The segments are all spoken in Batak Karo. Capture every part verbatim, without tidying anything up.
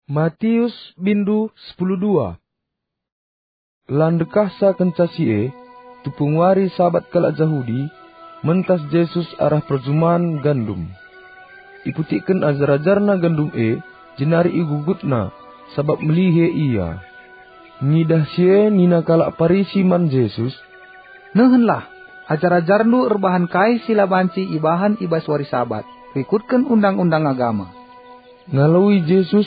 Matius bindu sepuluh dua. La ndekahsa kenca si e, tupung wari Sabat kalak Jahudi, mentas Jesus arah perjuman gandum. Iputikken ajar-ajarNa gandum e, jenari igugutna, sabap melihe ia. Ngidah si e nina kalak Parisi man Jesus, "Nehenlah, ajar-ajarNdu erbahan kai si la banci ibahan i bas wari Sabat, rikutken undang-undang agama." Ngaloi Jesus,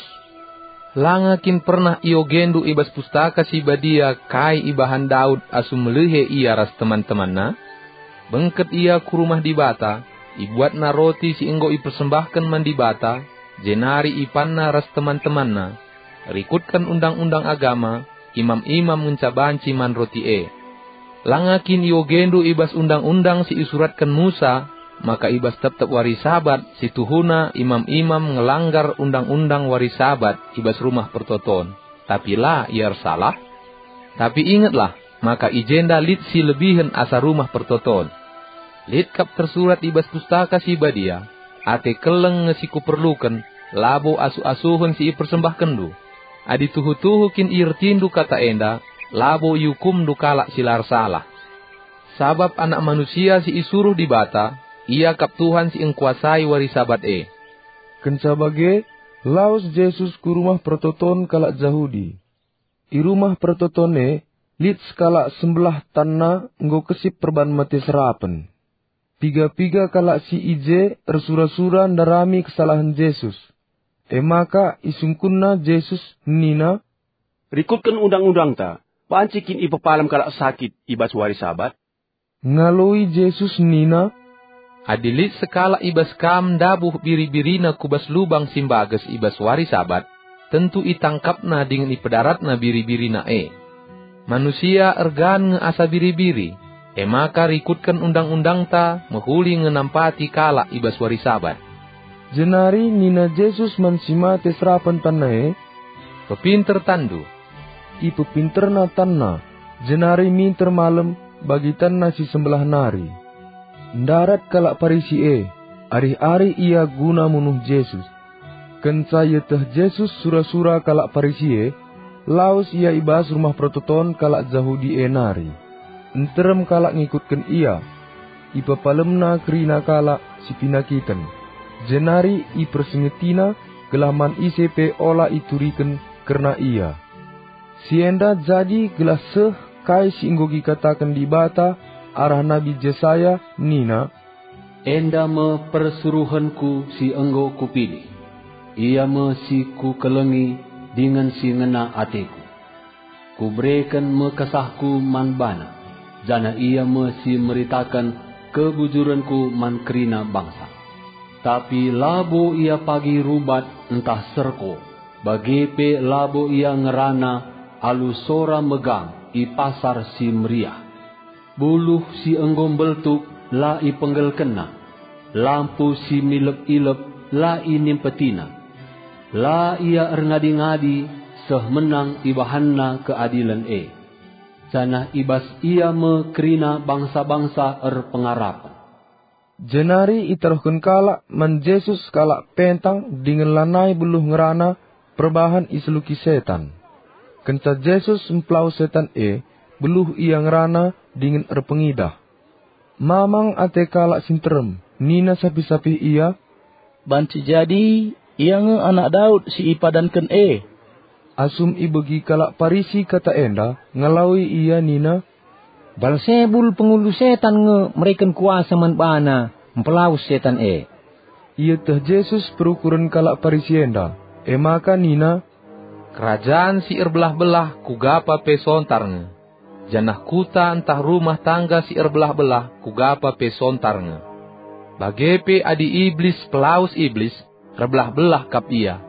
"Langa kin pernah iogendu i bas Pustaka Si Badia kai ibahan Daud asum melihe ia ras teman-temanna? Bengket ia ku rumah Dibata, ibuatna roti si enggo ipersembahken man Dibata, jenari ipanna ras teman-temanna. Rikutken undang-undang agama, imam-imam ngenca banci man roti e. Langa kin iogendu i bas undang-undang si isuratken Musa, maka i bas tep-tep wari Sabat si tuhuna imam-imam ngelanggar undang-undang wari Sabat i bas Rumah Pertoton, tapi la ia ersalah? Tapi ingetlah, maka i jenda lit si lebihen asa Rumah Pertoton. Lit kap tersurat i bas Pustaka Si Badia, 'Ate keleng nge si kuperluken, labo asuh-asuhen si ipersembahkenndu.' Adi tuhu-tuhu kin iertindu kata enda, labo iukumndu kalak si la ersalah. Sabap Anak Manusia si isuruh Dibata, Ia kap Tuhan si engkuasai wari Sabat e." Kenca bage, lawes Jesus ku rumah pertoton kalak Jahudi. I rumah pertoton e, lit sekalak sembelah tanna enggo kesip perban mate serapen. Piga-piga kalak si i je ersura-sura ndarami kesalahen Jesus. E maka isungkunna Jesus nina, "Rikutken undang-undangta, banci kin ipepalem kalak sakit i bas wari Sabat?" Ngaloi Jesus nina, "Adi lit sekalak i bas kam ndabuh biri-birina ku bas lubang si mbages i bas wari Sabat, tentu itangkapna dingen ipedaratna biri-birina e. Manusia ergan nge asa biri-biri, e maka rikutken undang-undangta mehuli nge nampati kalak i bas wari Sabat." Jenari nina Jesus man si mate serapen tanna e, "Pepinter tanndu." Ipepinterna tanna, jenari minter malem bagi tanna si sembelah nari. Ndarat kalak Parisi e, arih-arih ia guna munuh Jesus. Kenca ieteh Jesus sura-sura kalak Parisi e, lawes ia i bas rumah pertoton kalak Jahudi e nari. Nterem kalak ngikutken ia. Ipepalemna kerina kalak si penakiten, jenari ipersengetina gelah man ise pe ola ituriken kerna ia. Si enda jadi gelah seh kai si enggo ikataken Dibata arah Nabi Jesaya nina, "Enda me persuruhenKu si enggo Kupilih. Ia me si Kukelengi dingen si ngena ateKu. Kubereken me KesahKu man bana, janah ia me si meritaken kebujurenKu man kerina bangsa. Tapi labo ia pagi rubat ntah serko, bage pe labo ia ngerana alu sora megang i pasar si meriah. Buluh si enggo mbeltuk la ipenggelkenna, lampu si milep-ilep la inimpetina. La ia erngadi-ngadi seh menang ibahanna keadilen e, janah i bas ia me kerina bangsa-bangsa erpengarapen." Jenari itaruhken kalak man Jesus kalak pentang dingen lanai beluh ngerana perbahan iseluki setan. Kenca Jesus mpelawes setan e, beluh ia ngerana dingen erpengidah. Mamang ate kalak si nterem, nina sapih-sapih ia, "Banci jadi ia nge Anak Daud si ipadanken e." Asum ibegi kalak Parisi kata enda, ngaloi ia nina, "Balsebul pengulu setan nge mereken kuasa man bana mpelawes setan e." Ieteh Jesus perukuren kalak Parisi enda, e maka nina, "Kerajan si erbelah-belah kuga pa pe sontar nge, janah kuta ntah rumah tangga si erbelah-belah kuga pa pe sontar nge. Bage pe adi Iblis pelawes Iblis, erbelah-belah kap ia.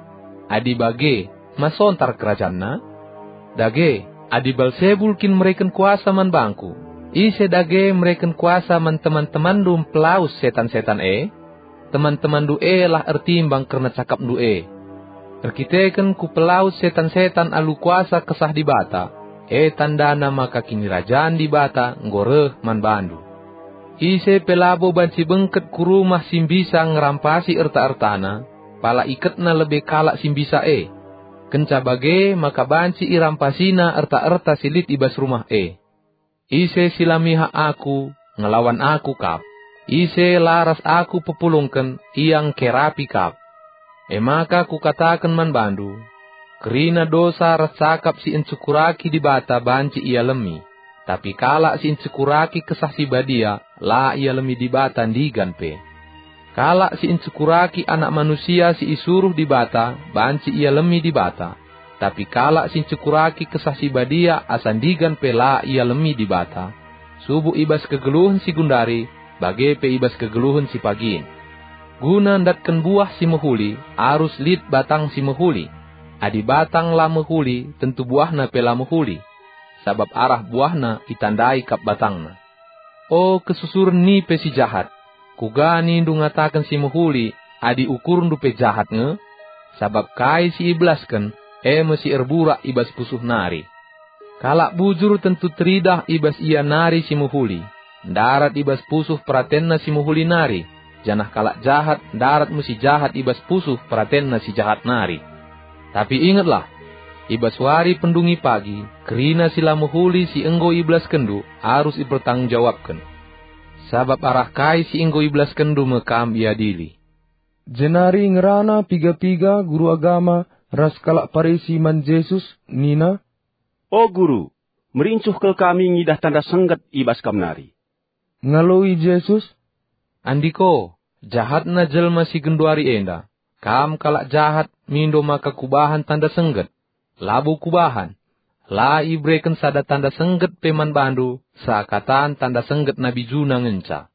Adi bage, ma sontar kerajanna? Dage, adi Balsebul kin mereken kuasa man bangKu, ise dage mereken kuasa man teman-temanndu mpelawes setan-setan e? Teman-temanndu e lah ertimbang kerna cakapndu e. Erkiteken Kupelawes setan-setan alu kuasa Kesah Dibata, e tandana maka Kinirajan Dibata enggo reh man bandu. Ise pe labo banci bengket ku rumah si mbisa ngerampasi erta-ertana, pala iketna lebe kalak si mbisa e. kenca bage maka banci irampasina erta-erta si lit i bas rumah e. Ise si la mihak aku, ngelawan aku kap. Ise la ras aku pepulungken, ia ngkerapi kap. E maka kukataken man bandu, kerina dosa ras cakap si encukuraki Dibata banci ialemi, tapi kalak si encukuraki Kesah Si Badia la ialemi Dibata ndigan pe. Kalak si encukuraki Anak Manusia si isuruh Dibata banci ialemi Dibata, tapi kalak si encukuraki Kesah Si Badia asa ndigan pe la ialemi Dibata, subuk i bas kegeluhen si gundari, bage pe i bas kegeluhen si pagin. Guna ndatken buah si mehuli, arus lit batang si mehuli. Adi batang la mehuli, tentu buahna pe la mehuli, sabap arah buahna itandai kap batangna. O kesusuren nipe si jahat! Kuga nindu ngataken si mehuli, adi ukurndu pe jahat nge? Sabap kai si ibelasken, e me si erburak i bas pusuh nari. Kalak bujur tentu teridah i bas ia nari si mehuli, ndarat i bas pusuh peratenna si mehuli nari, janah kalak jahat ndarat me si jahat i bas pusuh peratenna si jahat nari. Tapi ingetlah, i bas wari pendungi pagi, kerina si la mehuli si enggo ibelaskenndu arus ipertanggung jawabken. Sabap arah kai si enggo ibelaskenndu me kam iadili. Jenari ngerana piga-piga guru agama ras kalak Parisi man Jesus nina, "O Guru, merincuh kal kami ngidah tanda sengget i bas Kam nari." Ngaloi Jesus, "Andiko, jahatna jelma si genduari enda! Kam kalak jahat mindo maka kubahan tanda sengget. Labo kubahan. La ibereken sada tanda sengget pe man bandu seakatan tanda sengget nabi Juna ngenca.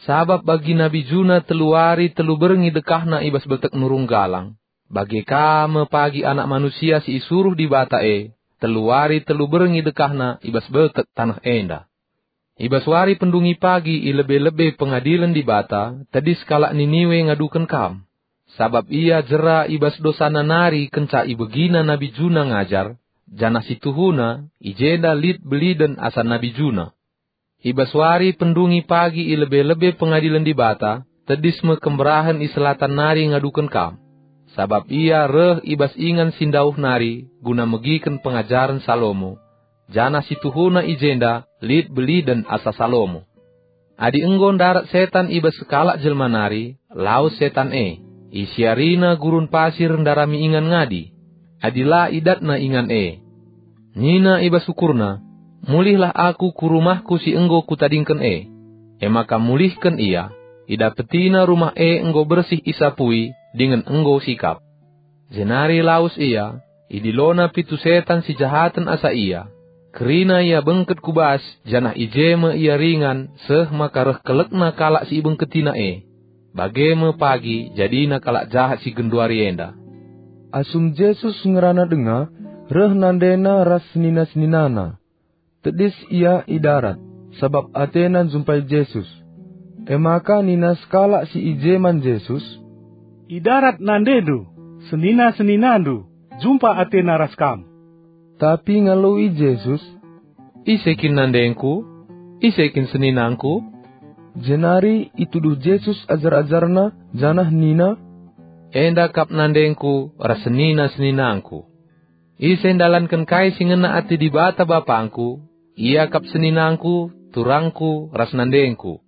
Sabap bagi nabi Juna telu wari telu berngi dekahna i bas beltek nurung galang, bage ka me pagi Anak Manusia si isuruh Dibata e, telu wari telu berngi dekahna i bas beltek taneh enda." I bas wari pendungi pagi i lebe-lebe pengadilen Dibata, tedis kalak Niniwe ngaduken kam, sabap ia jera i bas dosana nari kenca ibegina nabi Juna ngajar, janah si tuhuna, i jenda lit beliden asa nabi Juna. I bas wari pendungi pagi i lebe-lebe pengadilen Dibata, tedis me kemberahen i selatan nari ngaduken kam, sabap ia reh i bas ingan si ndauh nari guna megiken pengajaren Salomo, janah si tuhuna i jenda lit beliden asa Salomo. Adi enggo ndarat setan i bas sekalak jelma nari, lawes setan e, isiarina gurun pasir ndarami ingan ngadi, adi la idatna ingan e. Nina i bas ukurna, "Mulihlah aku ku rumahku si enggo kutadingken e." E maka mulihken ia, idapetina rumah e enggo bersih isapui dingen enggo sikap. Jenari lawes ia, idilona pitu setan si jahaten asa ia. Kerina ia bengket ku bas, janah i je me ia ringan, seh maka reh kelekna kalak si ibengketina e. Bage me pagi jadina kalak jahat si genduari enda. Asum Jesus ngerana denga, reh nandena ras senina-seninana. Tedis ia i darat, sabap atena njumpai Jesus. E maka nina sekalak si i je man Jesus, "I darat nandendu, senina-seninandu, jumpa atena ras kam." Tapi ngaloi Jesus, "Ise kin nandengku? Ise kin seninangku?" Jenari ituduh Jesus ajar-ajarNa janah nina, "Enda kap nandengku ras senina-seninangku. Ise ndalanken kai si ngena ate Dibata BapangKu, ia kap seninangku, turangku, ras nandengku.